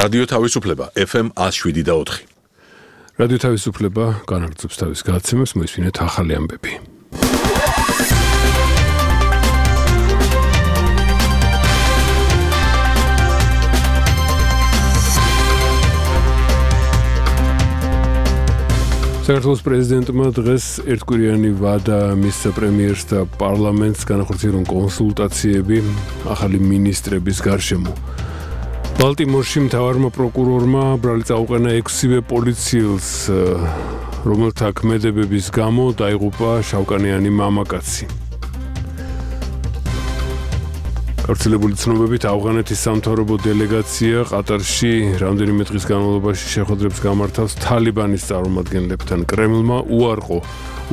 რადიო თავისუფლება FM 107.4. რადიო თავისუფლება განაგრძობს თავის გადაცემას, მოისმინეთ ახალი ამბები. საქართველოს პრეზიდენტმა დღეს ერთკვირიანი ვადა მისცა პრემიერს და პარლამენტს განახორციელონ კონსულტაციები ახალი მინისტრების გარშემო. ბალტიმორში მთავარმა პროკურორმა ბრალი წაუყენა 6-ვე პოლიციელს, რომელთა ქმედებების გამო დაიღუპა შავკანიანი მამაკაცი. გავრცელებული ცნობებით ავღანეთის სამთავრობო დელეგაცია ყატარში რამდენიმე დღის განმავლობაში შეხვედრებს გამართავს თალიბანის წარმომადგენლებთან. კრემლმა უარყო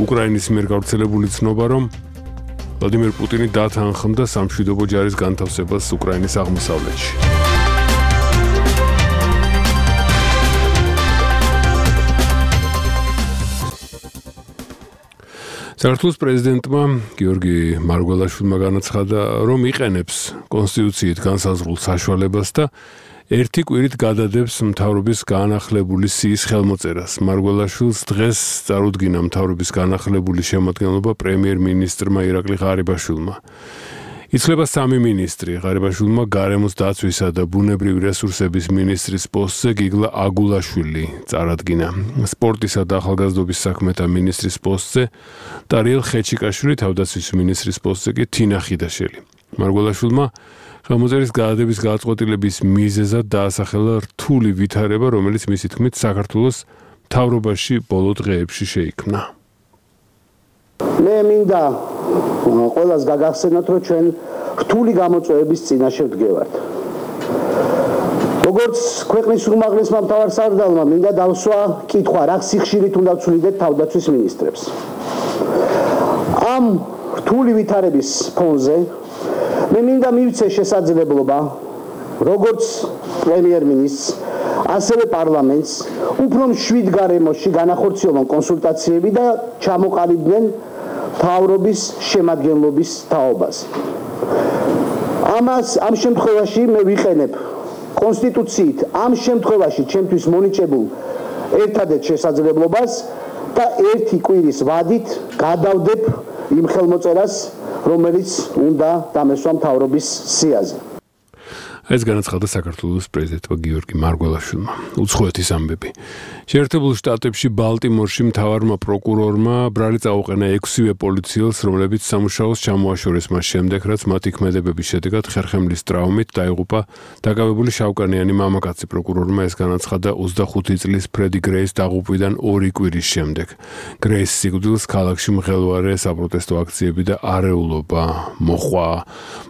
უკრაინის მიერ გავრცელებული ცნობა, რომ ვლადიმერ პუტინი დათანხმდა სამშვიდობო ჯარის განთავსებას უკრაინის აღმოსავლეთში. საქართველოს პრეზიდენტმა გიორგი მარგველაშვილმა განაცხადა, რომ იყენებს კონსტიტუციით განსაზღვრულ საშუალებას და ერთი კვირით გადადებს მთავრობის განახლებული სიის ხელმოწერას. მარგველაშვილს დღეს წარუდგინა მთავრობის განახლებული შემადგენლობა პრემიერ-მინისტრმა ირაკლი ღარიბაშვილმა. იცვლება 3 მინისტრი. ღარიბაშვილმა გარემოს დაცვისა და ბუნებრივი რესურსების მინისტრის პოსტზე გიგლა აგულაშვილი წარადგინა. სპორტისა და ახალგაზრდობის საქმეთა მინისტრის პოსტზე ტარიელ ხეჩიკაშვილი, თავდაცვის მინისტრის პოსტზე კი თინა ხიდაშელი. მარგველაშვილმა ხელმოწერის გადადების გადაწყვეტილების მიზეზად დაასახელა რთული ვითარება, რომელიც მისი თქმით საქართველოს მთავრობაში ბოლო დღეებში შეიქმნა. მე მინდა ყველას გაგახსენოთ, რომ ჩვენ რთული გამოწვევების წინაშე ვდგევართ. როგორც ქვეყნის უმაღლესმა მთავარსარდალმა მინდა დავსვა კითხვა, რა სიხშირით უნდა ვცვლიდეთ თავდაცვის მინისტრებს. ამ რთული ვითარების ფონზე მე მინდა მივცე შესაძლებლობა, როგორც პრემიერ-მინისტრს, ასევე პარლამენტს, უფრო მშვიდ გარემოში განახორციელონ კონსულტაციები და ჩამოყალიბდნენ მთავრობის შემადგენლობის თაობაზე. ამ შემთხვევაში მე ვიყენებ კონსტიტუციით ამ შემთხვევაში ჩემთვის მონიჭებულ ერთადერთ შესაძლებლობას და ერთი კვირის ვადით გადავდებ იმ ხელმოწერას, რომელიც უნდა დამესვა მთავრობის სიაზე. ეს განაცხადა საქართველოს პრეზიდენტმა გიორგი მარგველაშვილმა. უცხოეთის ამბები. შეერთებულ შტატებში ბალტიმორში მთავარმა პროკურორმა ბრალი წაუყენა 6-ვე პოლიციელს, რომლებიც სამუშაოს ჩამოაშორეს მას შემდეგ, რაც მათი ქმედებების შედეგად ხერხემლის ტრავმით დაიღუპა დაკავებული შავკანიანი მამაკაცი. პროკურორმა ეს განაცხადა 25 წლის ფრედი გრეის დაღუპვიდან 2 კვირის შემდეგ. გრეის სიკვდილს ქალაქში მღელვარე საპროტესტო აქციები და არეულობა მოჰყვა.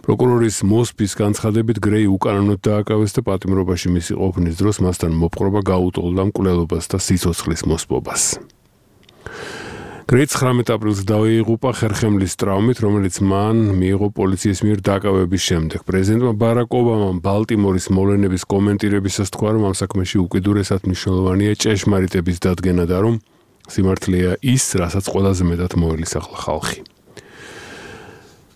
პროკურორის მოსპის განცხადებით გრეი უკანონოდ დააკავეს და პატიმრობაში მისი ყოფნის დროს მასთან მოპყრობა გაუტოლდა მკვლელობას და სიცოცხლის მოსპობას. გრეი 19 აპრილს დაიღუპა ხერხემლის ტრავმით, რომელიც მან მიიღო პოლიციის მიერ დაკავების შემდეგ. პრეზიდენტმა ბარაკ ობამამ ბალტიმორის მოვლენების კომენტირებისას თქვა, რომ ამ საქმეში უკიდურესად მნიშვნელოვანია ჭეშმარიტების დადგენა და რომ სიმართლეა ის, რასაც ყველაზე მეტად მოელისახლა ხალხი.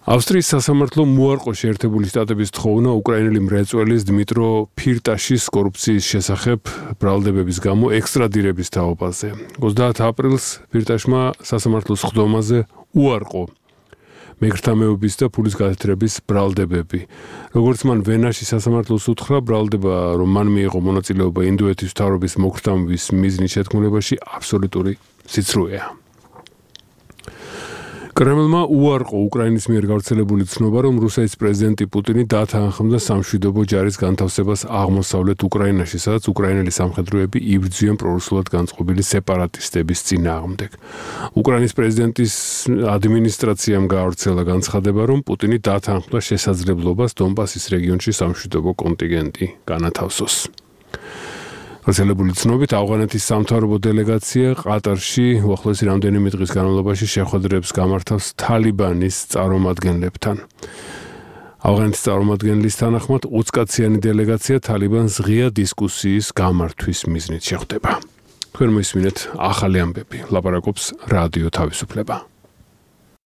ავსტრიის სასამართლომ უარყო შეერთებული შტატების თხოვნა უკრაინელი მრეწველის დმიტრო ფირტაშის კორუფციის შესახებ ბრალდებების გამო ექსტრადირების თაობაზე. 30 აპრილს ფირტაშმა სასამართლოს ხდომაზე უარყო მეგრთამეობის და ფულის გათეთრების ბრალდებები. როგორც მან ვენაში სასამართლოს უთხრა, ბრალდება, რომ მან მიიღო მონაწილეობა ინდოეთის მთავრობის მოგზაურობის მიზნის შეთქმულებაში, აბსოლუტური სიცრუეა. კრემლმა უარყო უკრაინის მიერ გავრცელებული ცნობა, რომ რუსეთის პრეზიდენტი პუტინი დათანხმდა სამშვიდობო ჯარის განთავსებას აღმოსავლეთ უკრაინაში, სადაც უკრაინელი სამხედროები იბრძვიან პრორუსულად განწყობილი სეპარატისტების წინააღმდეგ. უკრაინის პრეზიდენტის ადმინისტრაციამ გაავრცელა განცხადება, რომ პუტინი დათანხმდა შესაძლებლობას დონბასის რეგიონში სამშვიდობო კონტინგენტი განათავსოს. გავრცელებული ცნობით, ავღანეთის სამთავრობო დელეგაცია ყატარში უახლოესი რამდენიმე დღის განმავლობაში შეხვედრებს გამართავს თალიბანის წარმომადგენლებთან. ავღანეთის წარმომადგენლის თანახმად 20 კაციანი დელეგაცია თალიბანს ღია დისკუსიის გამართვის მიზნით შეხვდება. თქვენ მოისმინეთ ახალი ამბები. ლაპარაკობს რადიო თავისუფლება.